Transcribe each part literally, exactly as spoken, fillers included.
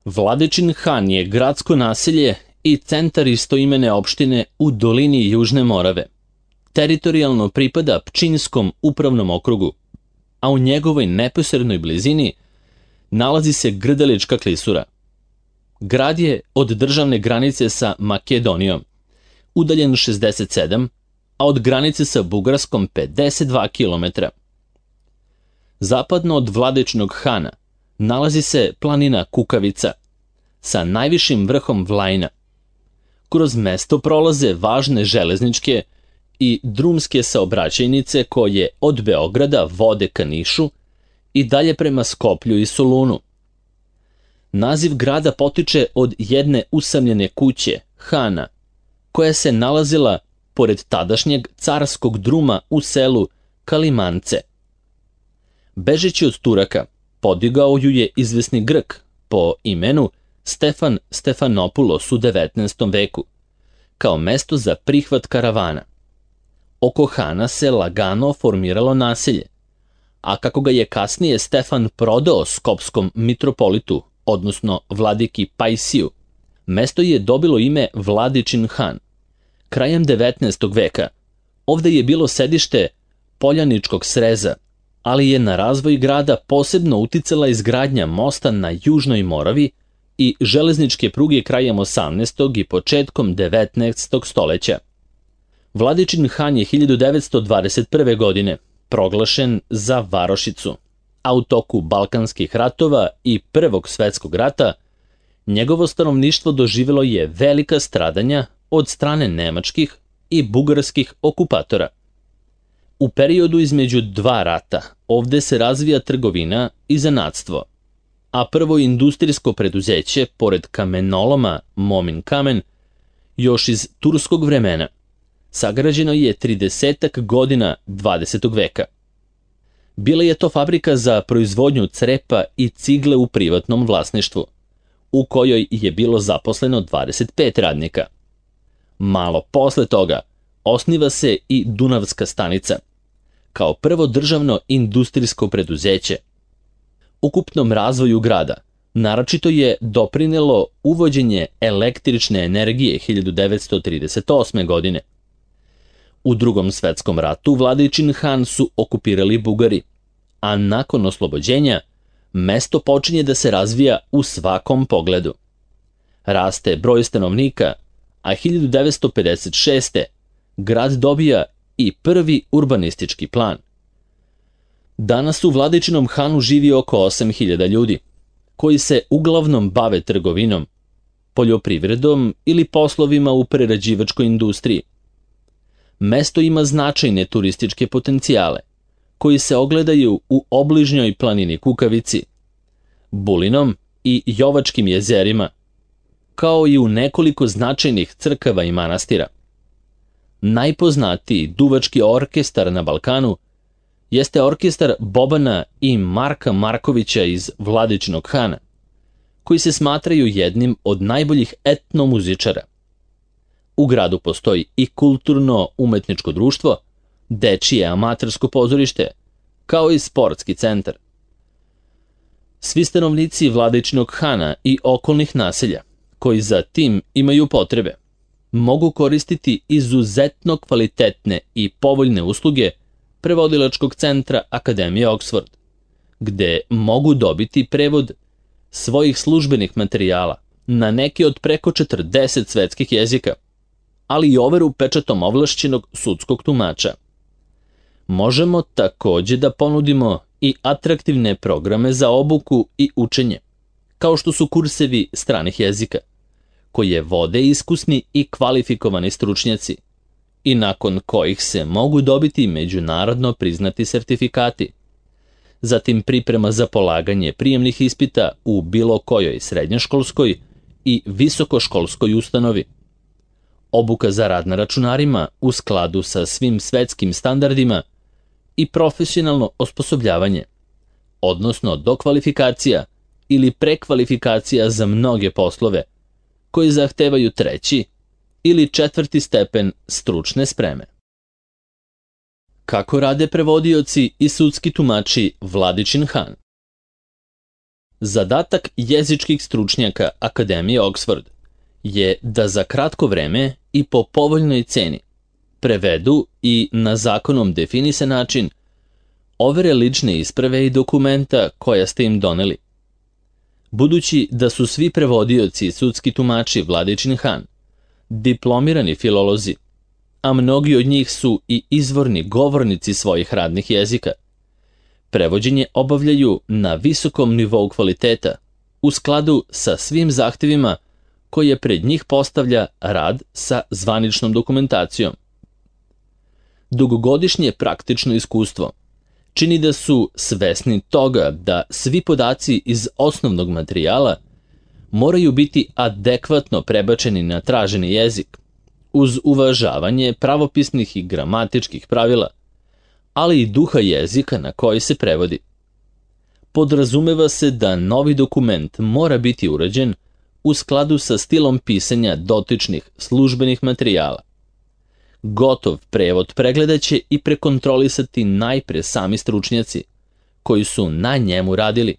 Vladičin Han je gradsko naselje i centar istoimene opštine u dolini Južne Morave. Teritorijalno pripada Pčinjskom upravnom okrugu, a u njegovoj neposrednoj blizini nalazi se Grdelička klisura. Grad je od državne granice sa Makedonijom udaljen šezdeset sedam, a od granice sa Bugarskom pedeset dva kilometra. Zapadno od Vladičinog Hana nalazi se planina Kukavica sa najvišim vrhom Vlajna. Kroz mesto prolaze važne železničke i drumske saobraćajnice koje od Beograda vode ka Nišu i dalje prema Skoplju i Solunu. Naziv grada potiče od jedne usamljene kuće, Hana, koja se nalazila pored tadašnjeg carskog druma u selu Kalimance. Bežeći od Turaka, podigao ju je izvesni Grk po imenu Stefan Stefanopulos u devetnaestom veku, kao mesto za prihvat karavana. Oko Hana se lagano formiralo naselje, a kako ga je kasnije Stefan prodao skopskom mitropolitu, odnosno vladiki Pajsiju, mesto je dobilo ime Vladičin Han. Krajem devetnaestog veka ovde je bilo sedište Poljaničkog sreza, ali je na razvoj grada posebno uticala izgradnja mosta na Južnoj Moravi i železničke pruge krajem osamnaestog i početkom devetnaestog stoleća. Vladičin Han je hiljadu devetsto dvadeset prve. godine proglašen za varošicu, a u toku Balkanskih ratova i Prvog svetskog rata njegovo stanovništvo doživjelo je velika stradanja od strane nemačkih i bugarskih okupatora. U periodu između dva rata ovde se razvija trgovina i zanatstvo, a prvo industrijsko preduzeće, pored kamenoloma Momin kamen, još iz turskog vremena, sagrađeno je tridesetak godina dvadesetog veka. Bila je to fabrika za proizvodnju crepa i cigle u privatnom vlasništvu, u kojoj je bilo zaposleno dvadeset pet radnika. Malo posle toga osniva se i Dunavska stanica, kao prvo državno industrijsko preduzeće. Ukupnom razvoju grada naročito je doprinelo uvođenje električne energije hiljadu devetsto trideset osme. godine. U Drugom svetskom ratu Vladičin Han su okupirali Bugari, a nakon oslobođenja mesto počinje da se razvija u svakom pogledu. Raste broj stanovnika, a hiljadu devetsto pedeset šeste. grad dobija i prvi urbanistički plan. Danas u Vladičinom Hanu živi oko osam hiljada ljudi, koji se uglavnom bave trgovinom, poljoprivredom ili poslovima u prerađivačkoj industriji. Mesto ima značajne turističke potencijale, koji se ogledaju u obližnjoj planini Kukavici, Bulinom i Jovačkim jezerima, kao i u nekoliko značajnih crkava i manastira. Najpoznatiji duvački orkestar na Balkanu jeste orkestar Bobana i Marka Markovića iz Vladičinog Hana, koji se smatraju jednim od najboljih etnomuzičara. U gradu postoji i kulturno-umetničko društvo, dečije amatersko pozorište, kao i sportski centar. Svi stanovnici Vladičinog Hana i okolnih naselja, koji za tim imaju potrebe, mogu koristiti izuzetno kvalitetne i povoljne usluge prevodilačkog centra Akademije Oxford, gde mogu dobiti prevod svojih službenih materijala na neki od preko četrdeset svetskih jezika, ali i overu pečatom ovlašćenog sudskog tumača. Možemo takođe da ponudimo i atraktivne programe za obuku i učenje, kao što su kursevi stranih jezika, koje vode iskusni i kvalifikovani stručnjaci i nakon kojih se mogu dobiti međunarodno priznati sertifikati. Zatim priprema za polaganje prijemnih ispita u bilo kojoj srednjoškolskoj i visokoškolskoj ustanovi. Obuka za rad na računarima u skladu sa svim svetskim standardima i profesionalno osposobljavanje, odnosno dokvalifikacija ili prekvalifikacija za mnoge poslove koji zahtevaju treći ili četvrti stepen stručne spreme. Kako rade prevodioci i sudski tumači Vladičin Han? Zadatak jezičkih stručnjaka Akademije Oxford je da za kratko vreme i po povoljnoj ceni prevedu i na zakonom definisan način overe lične isprave i dokumenta koja ste im doneli. Budući da su svi prevodioci i sudski tumači Vladičin Han diplomirani filolozi, a mnogi od njih su i izvorni govornici svojih radnih jezika, prevođenje obavljaju na visokom nivou kvaliteta u skladu sa svim zahtevima koje pred njih postavlja rad sa zvaničnom dokumentacijom. Dugogodišnje praktično iskustvo čini da su svesni toga da svi podaci iz osnovnog materijala moraju biti adekvatno prebačeni na traženi jezik, uz uvažavanje pravopisnih i gramatičkih pravila, ali i duha jezika na koji se prevodi. Podrazumeva se da novi dokument mora biti urađen u skladu sa stilom pisanja dotičnih službenih materijala. Gotov prevod pregledaće i prekontrolisati najpre sami stručnjaci koji su na njemu radili,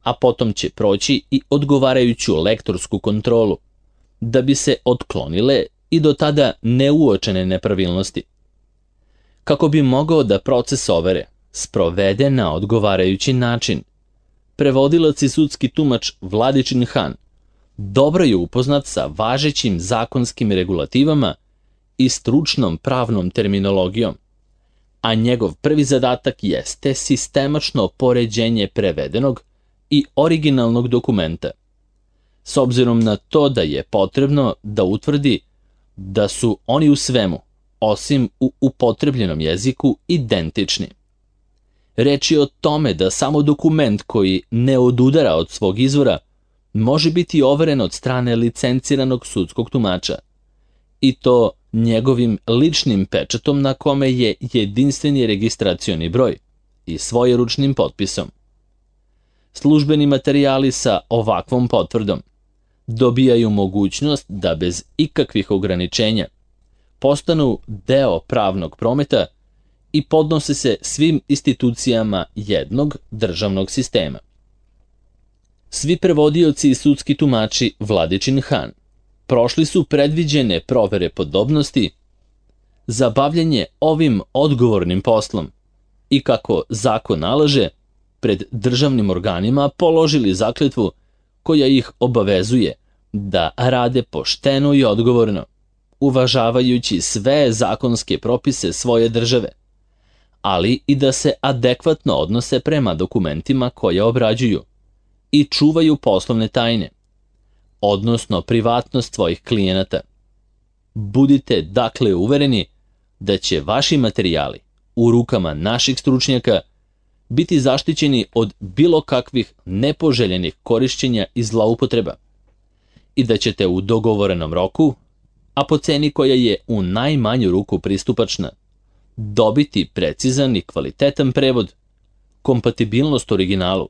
a potom će proći i odgovarajuću lektorsku kontrolu, da bi se otklonile i do tada neuočene nepravilnosti. Kako bi mogao da proces overe sprovede na odgovarajući način, prevodilac i sudski tumač Vladičin Han dobro je upoznat sa važećim zakonskim regulativama i stručnom pravnom terminologijom, a njegov prvi zadatak jeste sistemačno poređenje prevedenog i originalnog dokumenta, s obzirom na to da je potrebno da utvrdi da su oni u svemu, osim u upotrebljenom jeziku, identični. Reč je o tome da samo dokument koji ne odudara od svog izvora može biti overen od strane licenciranog sudskog tumača, i to njegovim ličnim pečatom na kome je jedinstveni registracioni broj i svojeručnim potpisom. Službeni materijali sa ovakvom potvrdom dobijaju mogućnost da bez ikakvih ograničenja postanu deo pravnog prometa i podnose se svim institucijama jednog državnog sistema. Svi prevodioci i sudski tumači Vladičin Han prošli su predviđene provere podobnosti za bavljanje ovim odgovornim poslom i kako zakon nalaže, pred državnim organima položili zakletvu koja ih obavezuje da rade pošteno i odgovorno, uvažavajući sve zakonske propise svoje države, ali i da se adekvatno odnose prema dokumentima koje obrađuju i čuvaju poslovne tajne, odnosno privatnost svojih klijenata. Budite dakle uvereni da će vaši materijali u rukama naših stručnjaka biti zaštićeni od bilo kakvih nepoželjenih korišćenja i zloupotreba i da ćete u dogovorenom roku, a po ceni koja je u najmanju ruku pristupačna, dobiti precizan i kvalitetan prevod, kompatibilnost originalu,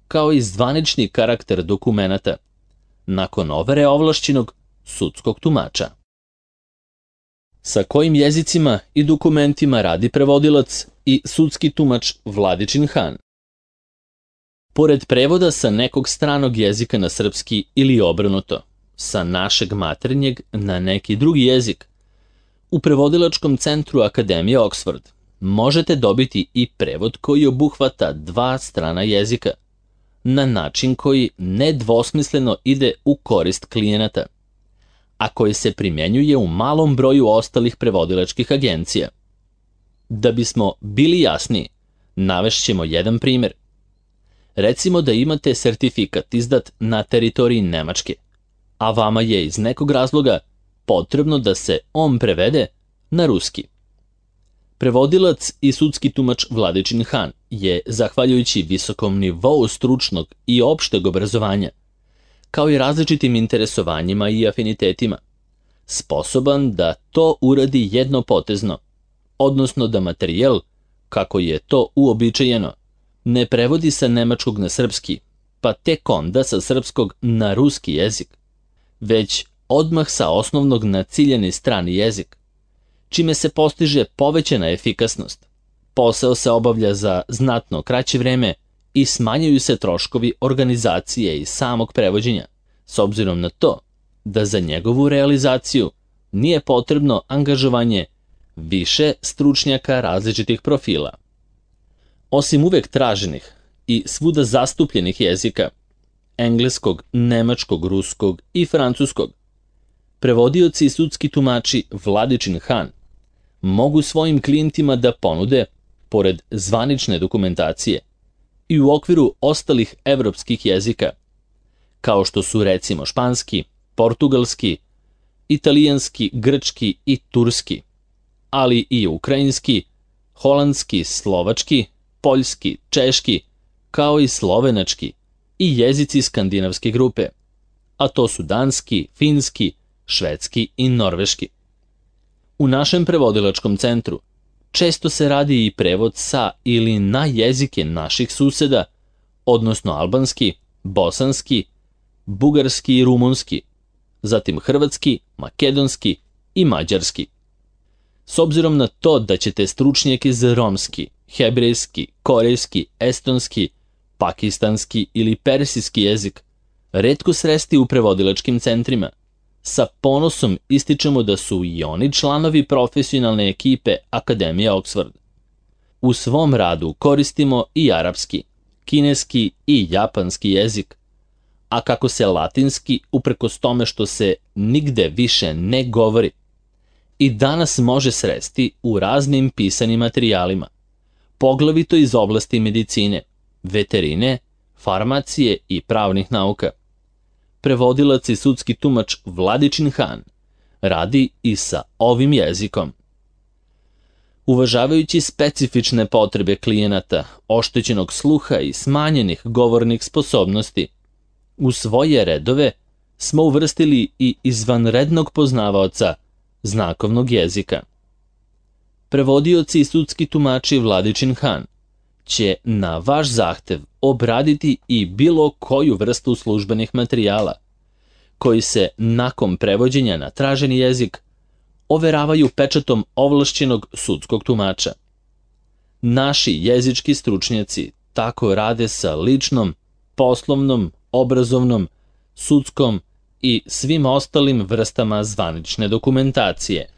kao i zvanični karakter dokumenata, nakon overe ovlašćenog sudskog tumača. Sa kojim jezicima i dokumentima radi prevodilac i sudski tumač Vladičin Han? Pored prevoda sa nekog stranog jezika na srpski ili obrnuto, sa našeg maternjeg na neki drugi jezik, u prevodilačkom centru Akademije Oxford možete dobiti i prevod koji obuhvata dva strana jezika, na način koji nedvosmisleno ide u korist klijenata, a koji se primjenjuje u malom broju ostalih prevodilačkih agencija. Da bismo bili jasniji, navešćemo jedan primjer. Recimo da imate sertifikat izdat na teritoriji Nemačke, a vama je iz nekog razloga potrebno da se on prevede na ruski. Prevodilac i sudski tumač Vladičin Han je, zahvaljujući visokom nivou stručnog i opšteg obrazovanja, kao i različitim interesovanjima i afinitetima, sposoban da to uradi jednopotezno, odnosno da materijal, kako je to uobičajeno, ne prevodi sa nemačkog na srpski, pa tek onda sa srpskog na ruski jezik, već odmah sa osnovnog na ciljani strani jezik, čime se postiže povećana efikasnost. Posao se obavlja za znatno kraće vreme i smanjuju se troškovi organizacije i samog prevođenja, s obzirom na to da za njegovu realizaciju nije potrebno angažovanje više stručnjaka različitih profila. Osim uvek traženih i svuda zastupljenih jezika, engleskog, nemačkog, ruskog i francuskog, prevodioci i sudski tumači Vladičin Han mogu svojim klijentima da ponude, pored zvanične dokumentacije, i u okviru ostalih evropskih jezika, kao što su recimo španski, portugalski, italijanski, grčki i turski, ali i ukrajinski, holandski, slovački, poljski, češki, kao i slovenački i jezici skandinavske grupe, a to su danski, finski, švedski i norveški. U našem prevodilačkom centru često se radi i prevod sa ili na jezike naših suseda, odnosno albanski, bosanski, bugarski i rumunski, zatim hrvatski, makedonski i mađarski. S obzirom na to da ćete stručnjake za romski, hebrejski, korejski, estonski, pakistanski ili persijski jezik retko sresti u prevodilačkim centrima, sa ponosom ističemo da su i oni članovi profesionalne ekipe Akademije Oxford. U svom radu koristimo i arapski, kineski i japanski jezik, a kako se latinski, uprkos tome što se nigde više ne govori, i danas može sresti u raznim pisanim materijalima, poglavito iz oblasti medicine, veterine, farmacije i pravnih nauka. Prevodilac i sudski tumač Vladičin Han radi i sa ovim jezikom. Uvažavajući specifične potrebe klijenata, oštećenog sluha i smanjenih govornih sposobnosti, u svoje redove smo uvrstili i izvanrednog poznavaoca znakovnog jezika. Prevodioci i sudski tumači Vladičin Han će na vaš zahtev obraditi i bilo koju vrstu službenih materijala, koji se nakon prevođenja na traženi jezik overavaju pečatom ovlašćenog sudskog tumača. Naši jezički stručnjaci tako rade sa ličnom, poslovnom, obrazovnom, sudskom i svim ostalim vrstama zvanične dokumentacije.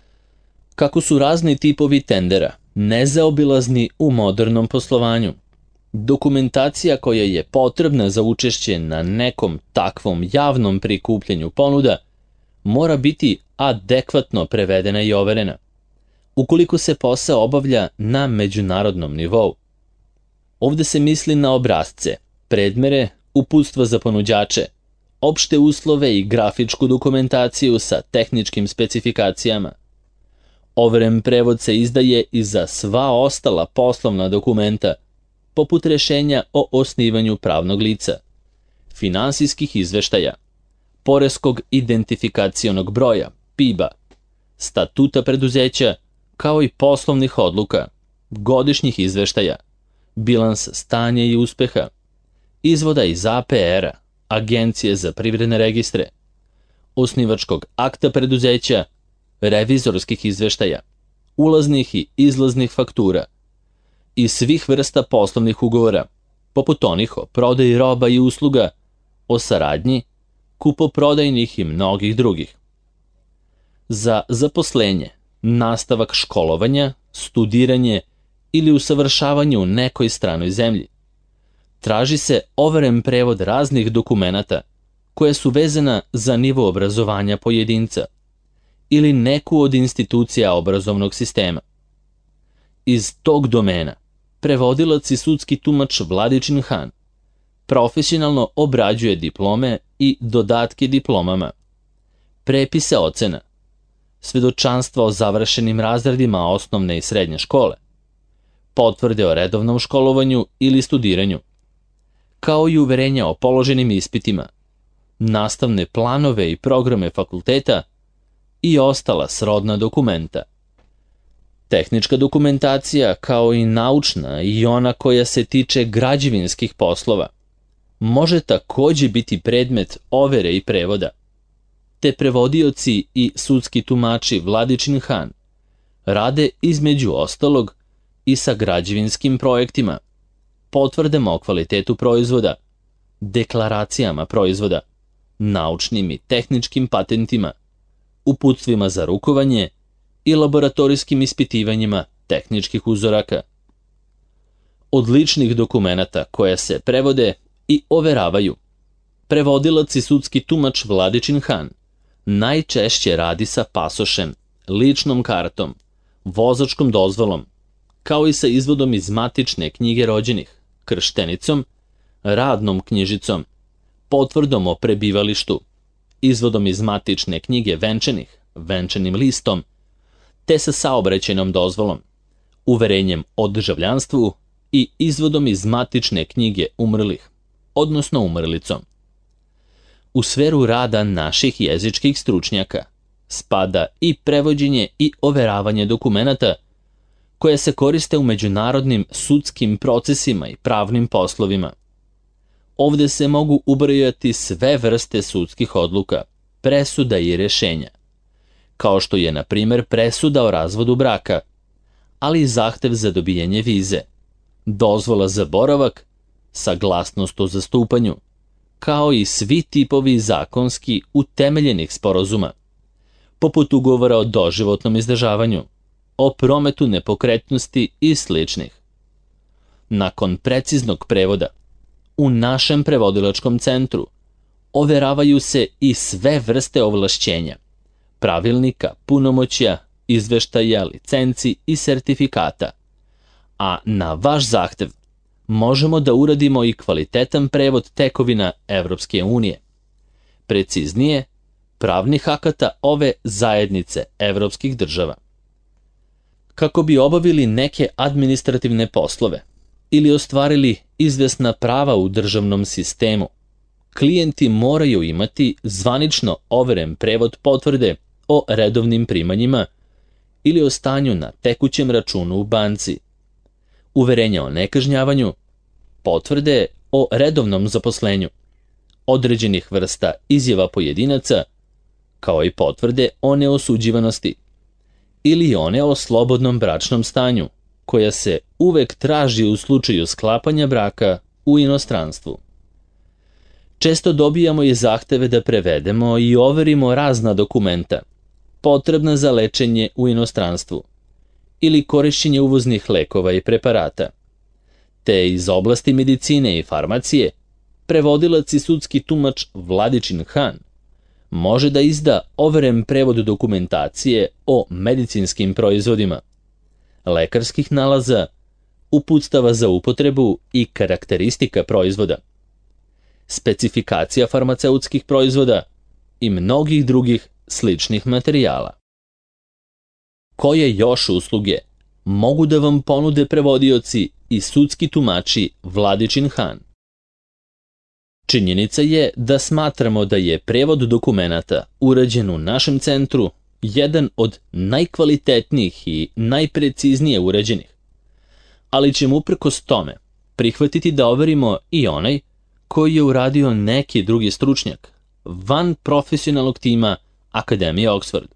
Kako su razni tipovi tendera nezaobilazni u modernom poslovanju, dokumentacija koja je potrebna za učešće na nekom takvom javnom prikupljanju ponuda mora biti adekvatno prevedena i overena, ukoliko se posao obavlja na međunarodnom nivou. Ovde se misli na obrasce, predmere, uputstva za ponuđače, opšte uslove i grafičku dokumentaciju sa tehničkim specifikacijama. Overen prevod se izdaje i za sva ostala poslovna dokumenta, poput rešenja o osnivanju pravnog lica, finansijskih izveštaja, poreskog identifikacionog broja, P I B-a, statuta preduzeća, kao i poslovnih odluka, godišnjih izveštaja, bilans stanja i uspeha, izvoda iz A P R-a, Agencije za privredne registre, osnivačkog akta preduzeća, revizorskih izveštaja, ulaznih i izlaznih faktura i svih vrsta poslovnih ugovora, poput onih o prodaji roba i usluga, o saradnji, kupoprodajnih i mnogih drugih. Za zaposlenje, nastavak školovanja, studiranje ili usavršavanje u nekoj stranoj zemlji, traži se overen prevod raznih dokumenata koje su vezana za nivo obrazovanja pojedinca ili neku od institucija obrazovnog sistema. Iz tog domena prevodilac i sudski tumač Vladičin Han profesionalno obrađuje diplome i dodatke diplomama, prepise ocena, svedočanstva o završenim razredima osnovne i srednje škole, potvrde o redovnom školovanju ili studiranju, kao i uverenja o položenim ispitima, nastavne planove i programe fakulteta i ostala srodna dokumenta. Tehnička dokumentacija, kao i naučna i ona koja se tiče građevinskih poslova, može takođe biti predmet overe i prevoda, te prevodioci i sudski tumači Vladičin Han rade između ostalog i sa građevinskim projektima, potvrdama o kvalitetu proizvoda, deklaracijama proizvoda, naučnim i tehničkim patentima, uputstvima za rukovanje i laboratorijskim ispitivanjima tehničkih uzoraka. Od ličnih dokumenata koje se prevode i overavaju, prevodilac i sudski tumač Vladičin Han najčešće radi sa pasošem, ličnom kartom, vozačkom dozvolom, kao i sa izvodom iz matične knjige rođenih, krštenicom, radnom knjižicom, potvrdom o prebivalištu, izvodom iz matične knjige venčanih, venčanim listom, te sa saobraćajnom dozvolom, uverenjem o državljanstvu i izvodom iz matične knjige umrlih, odnosno umrlicom. U sferu rada naših jezičkih stručnjaka spada i prevođenje i overavanje dokumenata koje se koriste u međunarodnim sudskim procesima i pravnim poslovima. Ovde se mogu ubrojati sve vrste sudskih odluka, presuda i rešenja, kao što je, na primer, presuda o razvodu braka, ali i zahtev za dobijanje vize, dozvola za boravak, saglasnost o zastupanju, kao i svi tipovi zakonski utemeljenih sporazuma, poput ugovora o doživotnom izdržavanju, o prometu nepokretnosti i sličnih. Nakon preciznog prevoda, u našem prevodilačkom centru overavaju se i sve vrste ovlašćenja, pravilnika, punomoćja, izveštaja, licenci i sertifikata, a na vaš zahtev možemo da uradimo i kvalitetan prevod tekovina Evropske unije. Preciznije, pravnih akata ove zajednice evropskih država. Kako bi obavili neke administrativne poslove ili ostvarili izvesna prava u državnom sistemu, klijenti moraju imati zvanično overen prevod potvrde o redovnim primanjima ili o stanju na tekućem računu u banci, uverenja o nekažnjavanju, potvrde o redovnom zaposlenju, određenih vrsta izjava pojedinaca, kao i potvrde o neosuđivanosti, ili one o slobodnom bračnom stanju, koja se uvek traži u slučaju sklapanja braka u inostranstvu. Često dobijamo i zahteve da prevedemo i overimo razna dokumenta, potrebna za lečenje u inostranstvu, ili korišćenje uvoznih lekova i preparata. Te iz oblasti medicine i farmacije, prevodilac i sudski tumač Vladičin Han može da izda overen prevod dokumentacije o medicinskim proizvodima, lekarskih nalaza, uputstava za upotrebu i karakteristika proizvoda, specifikacija farmaceutskih proizvoda i mnogih drugih sličnih materijala. Koje još usluge mogu da vam ponude prevodioci i sudski tumači Vladičin Han? Činjenica je da smatramo da je prevod dokumenata urađen u našem centru jedan od najkvalitetnijih i najpreciznije urađenih, ali ćemo uprkos tome prihvatiti da overimo i onaj koji je uradio neki drugi stručnjak van profesionalnog tima Akademije Oxford.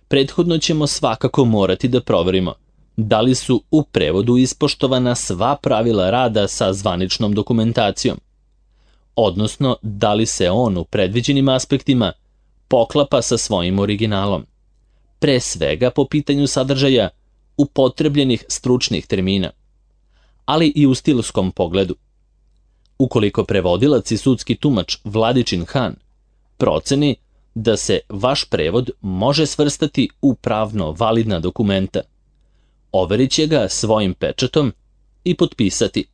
Prethodno ćemo svakako morati da proverimo da li su u prevodu ispoštovana sva pravila rada sa zvaničnom dokumentacijom, odnosno da li se on u predviđenim aspektima poklapa sa svojim originalom, pre svega po pitanju sadržaja upotrebljenih stručnih termina, ali i u stilskom pogledu. Ukoliko prevodilac i sudski tumač Vladičin Han proceni da se vaš prevod može svrstati u pravno validna dokumenta, overit će ga svojim pečatom i potpisati.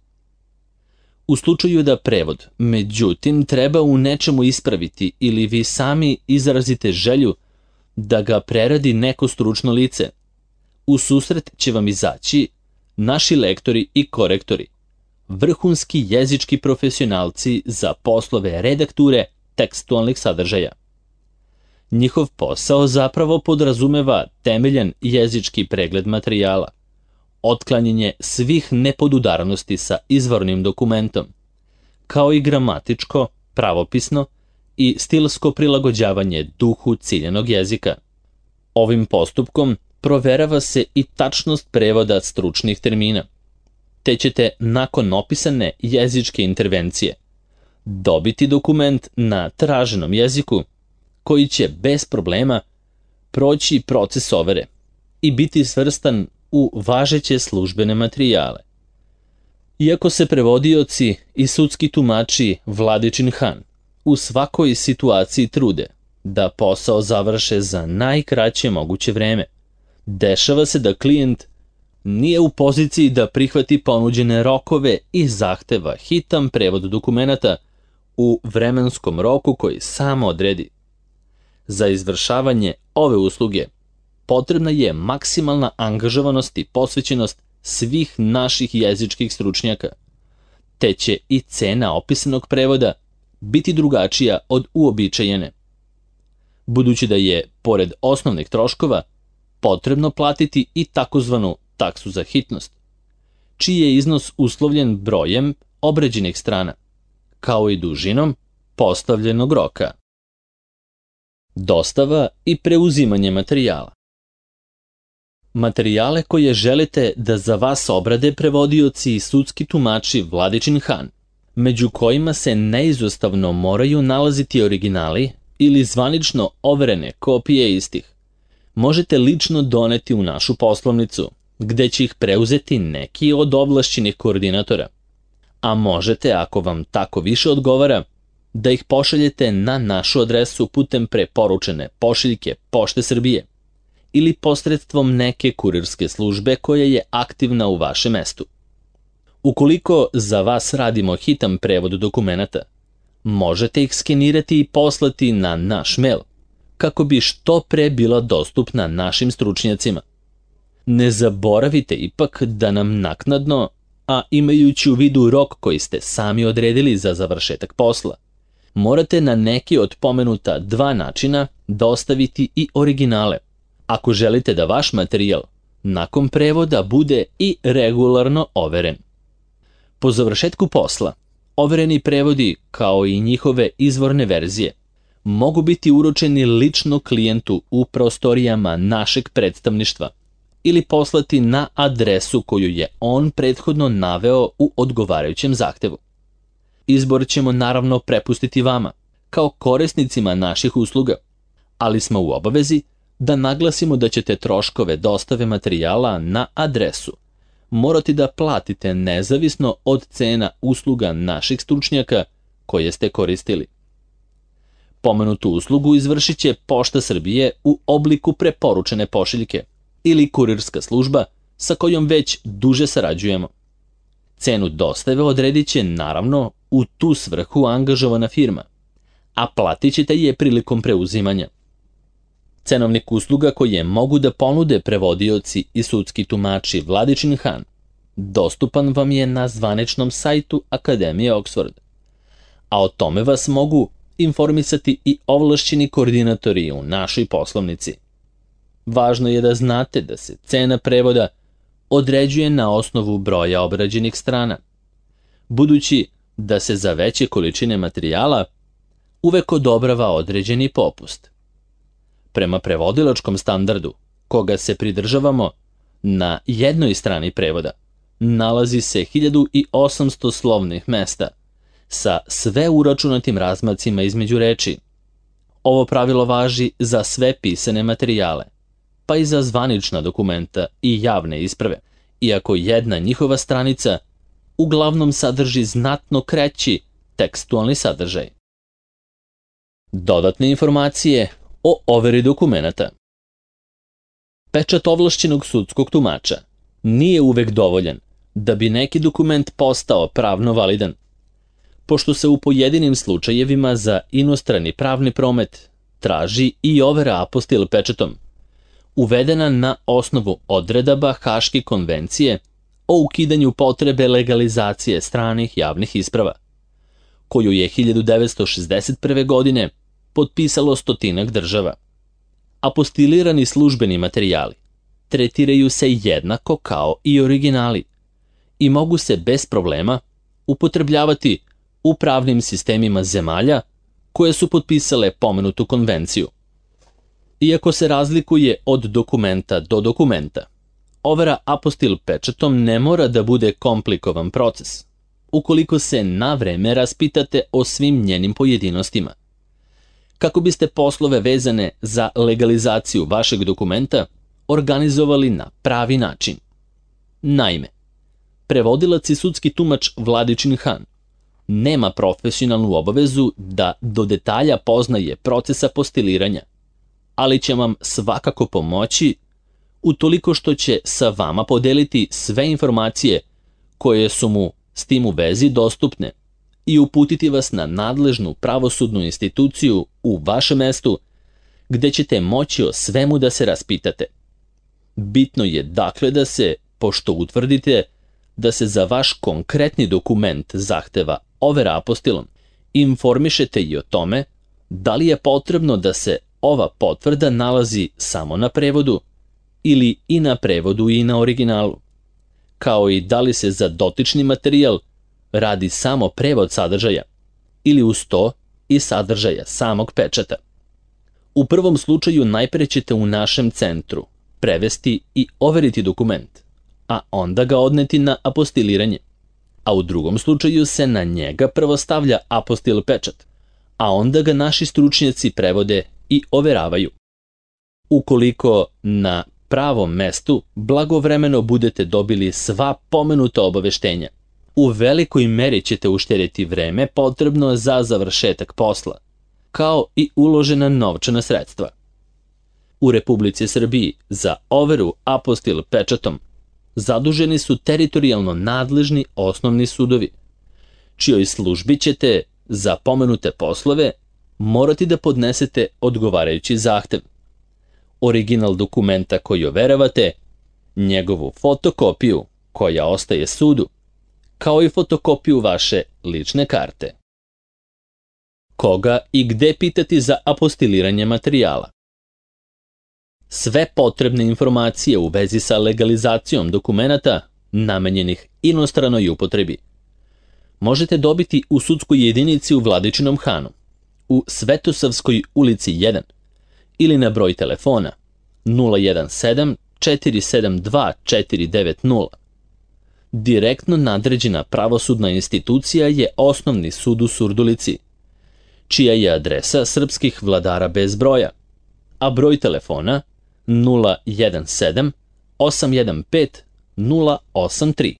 U slučaju da prevod, međutim, treba u nečemu ispraviti ili vi sami izrazite želju da ga preradi neko stručno lice, u susret će vam izaći naši lektori i korektori, vrhunski jezički profesionalci za poslove redakture tekstualnih sadržaja. Njihov posao zapravo podrazumeva temeljan jezički pregled materijala, otklanjanje svih nepodudarnosti sa izvornim dokumentom, kao i gramatičko, pravopisno i stilsko prilagođavanje duhu ciljanog jezika. Ovim postupkom proverava se i tačnost prevoda stručnih termina. te ćete nakon opisane jezičke intervencije dobiti dokument na traženom jeziku koji će bez problema proći proces overe i biti svrstan u važeće službene materijale. Iako se prevodioci i sudski tumači Vladičin Han u svakoj situaciji trude da posao završe za najkraće moguće vreme, dešava se da klijent nije u poziciji da prihvati ponuđene rokove i zahteva hitan prevod dokumenata u vremenskom roku koji samo odredi. Za izvršavanje ove usluge potrebna je maksimalna angažovanost i posvećenost svih naših jezičkih stručnjaka, te će i cena opisanog prevoda biti drugačija od uobičajene, budući da je, pored osnovnih troškova, potrebno platiti i takozvanu taksu za hitnost, čiji je iznos uslovljen brojem obrađenih strana, kao i dužinom postavljenog roka. Dostava i preuzimanje materijala. Materijale koje želite da za vas obrade prevodioci i sudski tumači Vladičin Han, među kojima se neizostavno moraju nalaziti originali ili zvanično overene kopije istih, možete lično doneti u našu poslovnicu, gde će ih preuzeti neki od ovlašćenih koordinatora, a možete, ako vam tako više odgovara, da ih pošaljete na našu adresu putem preporučene pošiljke Pošte Srbije ili posredstvom neke kurirske službe koja je aktivna u vašem mestu. Ukoliko za vas radimo hitan prevod dokumenata, možete ih skenirati i poslati na naš mail, kako bi što pre bila dostupna našim stručnjacima. Ne zaboravite ipak da nam naknadno, a imajući u vidu rok koji ste sami odredili za završetak posla, morate na neki od pomenuta dva načina dostaviti i originale, ako želite da vaš materijal nakon prevoda bude i regularno overen. Po završetku posla, overeni prevodi, kao i njihove izvorne verzije, mogu biti uručeni lično klijentu u prostorijama našeg predstavništva ili poslati na adresu koju je on prethodno naveo u odgovarajućem zahtevu. Izbor ćemo naravno prepustiti vama, kao korisnicima naših usluga, ali smo u obavezi da naglasimo da ćete troškove dostave materijala na adresu morati da platite nezavisno od cena usluga naših stručnjaka koje ste koristili. Pomenutu uslugu izvršit će Pošta Srbije u obliku preporučene pošiljke ili kurirska služba sa kojom već duže sarađujemo. Cenu dostave odredit će naravno u tu svrhu angažovana firma, a platit ćete je prilikom preuzimanja. Cenovnik usluga koje mogu da ponude prevodioci i sudski tumači Vladičin Han dostupan vam je na zvaničnom sajtu Akademije Oxford, a o tome vas mogu informisati i ovlašćeni koordinatori u našoj poslovnici. Važno je da znate da se cena prevoda određuje na osnovu broja obrađenih strana, budući da se za veće količine materijala uvek odobrava određeni popust. Prema prevodilačkom standardu, koga se pridržavamo, na jednoj strani prevoda nalazi se hiljadu osamsto slovnih mesta sa sve uračunatim razmacima između reči. Ovo pravilo važi za sve pisane materijale, pa i za zvanična dokumenta i javne isprave, iako jedna njihova stranica uglavnom sadrži znatno kraći tekstualni sadržaj. Dodatne informacije o overi dokumenata. Pečat ovlašćenog sudskog tumača nije uvek dovoljan da bi neki dokument postao pravno validan, pošto se u pojedinim slučajevima za inostrani pravni promet traži i overa apostil pečatom, uvedena na osnovu odredaba Haške konvencije o ukidanju potrebe legalizacije stranih javnih isprava, koju je hiljadu devetsto šezdeset prve. godine potpisalo stotinak država. Apostilirani službeni materijali tretiraju se jednako kao i originali i mogu se bez problema upotrebljavati u pravnim sistemima zemalja koje su potpisale pomenutu konvenciju. Iako se razlikuje od dokumenta do dokumenta, overa apostil pečatom ne mora da bude komplikovan proces, ukoliko se na vreme raspitate o svim njenim pojedinostima. Kako biste poslove vezane za legalizaciju vašeg dokumenta organizovali na pravi način. Naime, prevodilac i sudski tumač Vladičin Han nema profesionalnu obavezu da do detalja poznaje proces apostiliranja, ali će vam svakako pomoći utoliko što će sa vama podeliti sve informacije koje su mu s tim u vezi dostupne i uputiti vas na nadležnu pravosudnu instituciju u vašem mestu gde ćete moći o svemu da se raspitate. Bitno je dakle da se, pošto utvrdite da se za vaš konkretni dokument zahteva overa apostilom, informišete i o tome da li je potrebno da se ova potvrda nalazi samo na prevodu ili i na prevodu i na originalu, kao i da li se za dotični materijal radi samo prevod sadržaja ili uz to i sadržaja samog pečata. U prvom slučaju najpre ćete u našem centru prevesti i overiti dokument, a onda ga odneti na apostiliranje, a u drugom slučaju se na njega prvo stavlja apostil pečat, a onda ga naši stručnjaci prevode i overavaju. Ukoliko na pravom mestu blagovremeno budete dobili sva pomenuta obaveštenja, u velikoj meri ćete uštedjeti vreme potrebno za završetak posla, kao i uložena novčana sredstva. U Republici Srbiji za overu apostil pečatom zaduženi su teritorijalno nadležni osnovni sudovi, čijoj službi ćete za pomenute poslove morati da podnesete odgovarajući zahtev, original dokumenta koji overavate, njegovu fotokopiju koja ostaje sudu, kao i fotokopiju vaše lične karte. Koga i gde pitati za apostiliranje materijala? Sve potrebne informacije u vezi sa legalizacijom dokumenata namenjenih inostranoj upotrebi možete dobiti u sudskoj jedinici u Vladičinom Hanu, u Svetosavskoj ulici jedan ili na broj telefona nula jedan sedam četiri sedam dva četiri devet nula. Direktno nadređena pravosudna institucija je Osnovni sud u Surdulici, čija je adresa srpskih vladara bez broja, a broj telefona nula jedan sedam osam jedan pet nula osam tri.